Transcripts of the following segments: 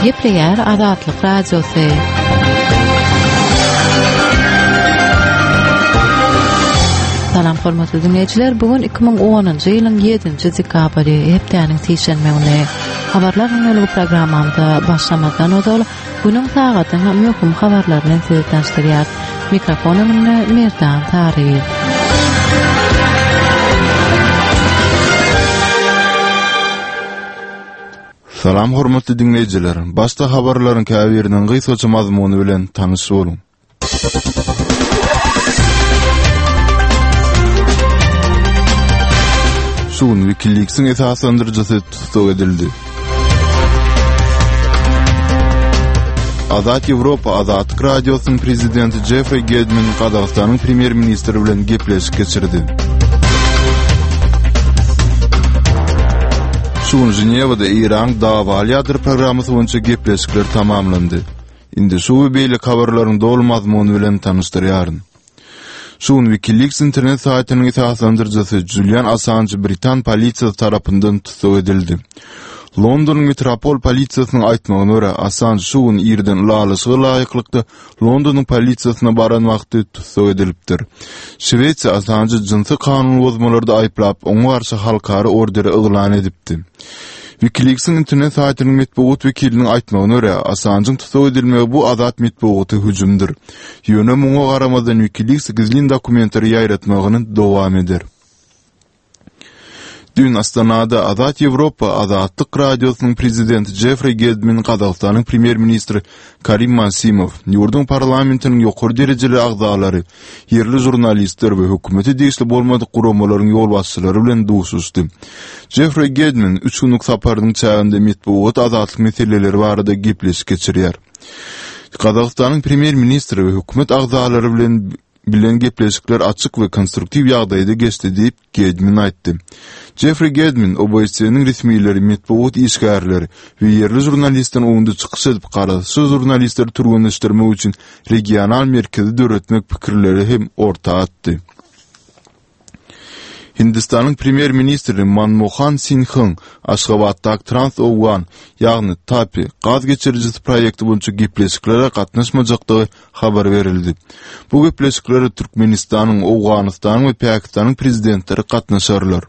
Gepleýär Azatlyk Radiosy. Salam hormatly diňleýjiler, bu gün 2010-njy ýylyň 7-nji dekabry, hepdäniň sişenbe güni. Habarlar gündeligi programmamyza başlamazdan ozal, günüň sagadyň möhüm habarlary bilen sizi tanyşdyrýar. Mikrofon öňünde Merdan Saryýew. Salam hormatly diňleýjiler! Başda habarlaryň käbiriniň gysgaça mazmuny bilen tanyş boluň. Şu gün WikiLeaks-iň esaslandyryjysy tussag edildi. Azat Ýewropa Azatlyk Radiosynyň prezidenti Jeffrey Gedmin Gazagystanyň premýer-ministri bilen gepleşik geçirdi. Şu gün Ženewada Eýranyň dawaly ýadro programmasy boýunça gepleşikler tamamlandy. Indi şu we beýleki habarlaryň doly mazmuny bilen tanyşdyrýaryn. Şu gün WikiLeaks internet saýtynyň esaslandyryjysy Julian Assanj britan polisiýasy tarapyndan tussag edildi. Londonyň metropol polisiýasynyň aýtmagyna görä, Assanj şu gün irden ylalaşyga laýyklykda Londonyň polisiýasyna baran wagty tussag edilipdir. Şwesiýa Assanjy jynsy kanun bozmalarda aýyplap, oňa garşy halkara orderi yglan edipdi. WikiLeaks-iň internet saýtynyň metbugat wekiliniň aýtmagyna görä, Assanjyň tussag edilmegi bu azat metbugata hüjümdir. Ýöne muňa garamazdan WikiLeaks gizlin dokumentleri ýaýratmagyny dowam eder. Düýn Astanada Azat Ýewropa Azatlyk Radiosynyň prezidenti Jeffri Geldmin Gazagystanyň premýer-ministri Karim Masimow, ýurduň parlamentiniň ýokary derejeli agzalary, ýerli žurnalistler we hökümete degişli bolmadyk guramalaryň ýolbaşçylary bilen duşuşdy. Jeffri Geldmin üç günlük saparynyň çäginde metbugat azatlyk meseleleri barada gepleşik geçirýär. Gazagystanyň premýer-ministri we hökümet agzalary bilen bilen gepleşikler açyk we konstruktiw ýagdaýda geçdi diýip, Gedmin aýtdy. Jeffri Gedmin OBSE-niň resmileri, metbugat işgärleri we ýerli žurnalistleriň öňünde çykyş edip, garaşsyz žurnalistleri türgenleşdirmek üçin regional merkezi döretmek pikirleri hem orta atdy. Hindistanyň premýer-ministri Manmohan Singhyň Aşgabatdaky Trans-Owgan, ýagny TAPI gaz geçirijisi proýekti boýunça gepleşiklere gatnaşmajakdygy habar berildi. Bu gepleşiklere Türkmenistanyň, Owganystanyň we Pakistanyň prezidentleri gatnaşarlar.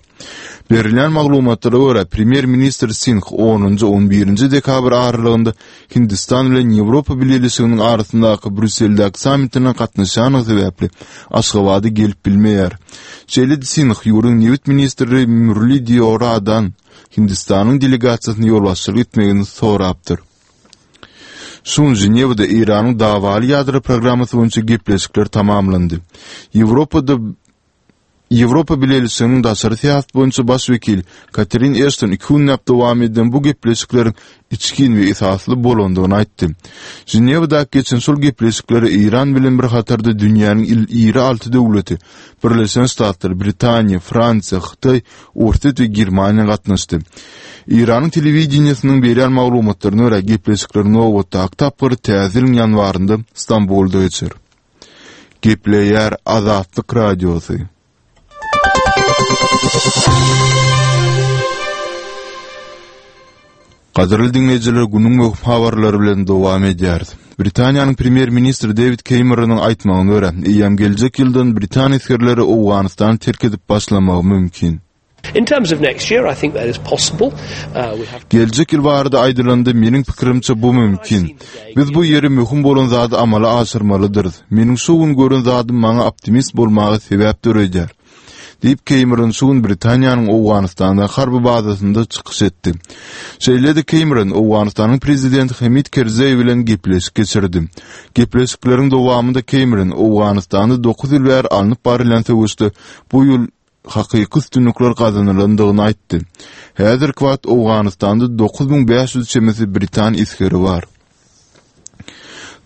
Berilýän maglumatlara görä, premýer-ministr Singh onunjy, on birinji dekabr aralygynda Hindistan bilen Ýewropa Bileleşiginiň arasyndaky Brýusseldäki sammitine gatnaşýanlygy sebäpli Aşgabada gelip bilmeýär. Şeýle-de Singh ýurduň nebit ministri Murli Deoradan Hindistanyň delegasiýasyna ýolbaşçylyk etmegini sorapdyr. Şu gün Ženewada Eýranyň dawaly ýadro programmasy boýunça gepleşikler tamamlandy. Ýewropada Ýewropa Bileleşiginiň daşary syýasat boýunça baş wekili Katerin Eşton iki günläp dowam eden bu gepleşikleriň içgin we esasly bolandygyny aýtdy. Ženewadaky geçen şol gepleşiklere Eýran bilen bir hatarda dünýäniň iri alty döwleti, Birleşen Ştatlar, Britaniýa, Fransiýa, Hytaý, Orsýet we Germaniýa gatnaşdy. Eýranyň telewideniýesiniň berýän maglumatlaryna görä, gepleşikleriň nobatdaky tapgyry täze ýylyň ýanwarynda Stambulda geçer. Gepleýär Azatlyk Radiosy. Gadyrly diňleýjiler, günüň möhüm habarlary bilen dowam edýäris. Britaniýanyň premýer-ministri Dewid Kemeronyň aýtmagyna görä, eýýäm geljek ýyldan britan esgerleri Owganystany terk edip başlamagy mümkin. In terms of next year, I think that is possible. Uh, we have Geljek ýyl barada aýdylanda, meniň pikirimçe bu mümkin. Biz bu ýeri möhüm bolan zady amala aşyrmalydyrys. Meniň şu gün gören zadym maňa optimist bolmaga sebäp döredýär. Diýip, Keýmeron şu gün Britaniýanyň Owganystandaky harby bazasynda çykyş etdi. Şeýle-de Keýmeron Owganystanyň prezidenti Hamid Kerzeý bilen gepleşik geçirdi. Gepleşikleriň dowamynda Keýmeron Owganystanda dokuz ýyl bäri alnyp barylýan söweşde bu ýyl hakyky üstünlikler gazanylandygyny aýtdy. Häzirki wagt Owganystanda 9500 çemesi britan esgeri bar.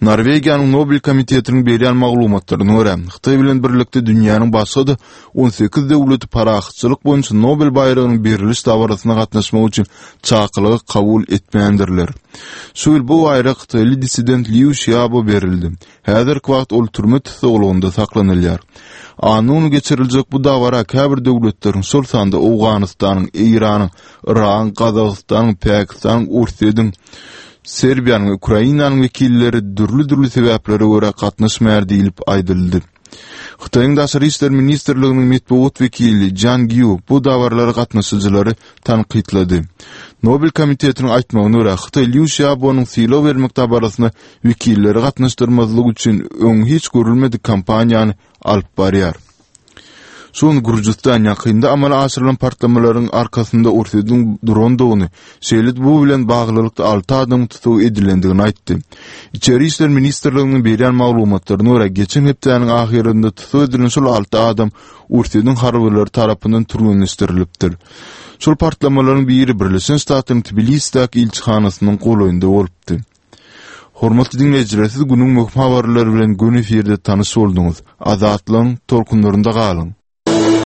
Norwegiýanyň Nobel komitetiniň berýän maglumatlaryna görä, Hytaý bilen birlikde dünýäniň başga-da 18 döwleti parahatçylyk boýunça Nobel baýragynyň beriliş dabarasyna gatnaşmak üçin çakylygy kabul etmändirler. Şu ýyl bu baýrak hytaýly dissident Liu Şiabo berildi. Häzirki wagt ol türme tussaglygynda saklanylýar. Anna güni geçiriljek bu dabara käbir döwletleriň, şol sanda Owganystanyň, Eýranyň, Yragyň, Gazagystanyň, Pakistanyň, Orsýetiň. Serbiýanyň we Ukrainanyň wekilleri dürli-dürli sebäplere görä gatnaşmaýar diýlip aýdyldy. Hytaýyň Daşary işler ministrliginiň metbugat wekili Jiang Ýu bu dabaralara gatnaşyjylary tankytlady. Nobel komitetiniň aýtmagyna görä, Hytaý Lýu Şiabonyň sylag bermek dabarasyna wekilleri gatnaşdyrmazlyk üçin öň hiç görülmedik kampaniýany alyp barýar. Şu gün Gürjüstan ýakynda amala aşyrylan partlamalaryň arkasynda Orsýetiň durandygyny, şeýle-de bu bilen baglylykda alty adamyň tussag edilendigini aýtdy. Içeri işler ministrliginiň berýän maglumatlaryna görä, geçen hepdäniň ahyrynda tussag edilen şol alty adam Orsýetiň harbylary tarapyndan türgenleşdirilipdir. Şol partlamalaryň biri Birleşen Ştatlaryň Tbilisdäki ilçihanasynyň golaýynda bolupdy. Hormatly diňleýjiler, siz günüň möhüm habarlary bilen göni efirde tanyş bolduňyz. Azatlygyň tolkunlarynda galyň!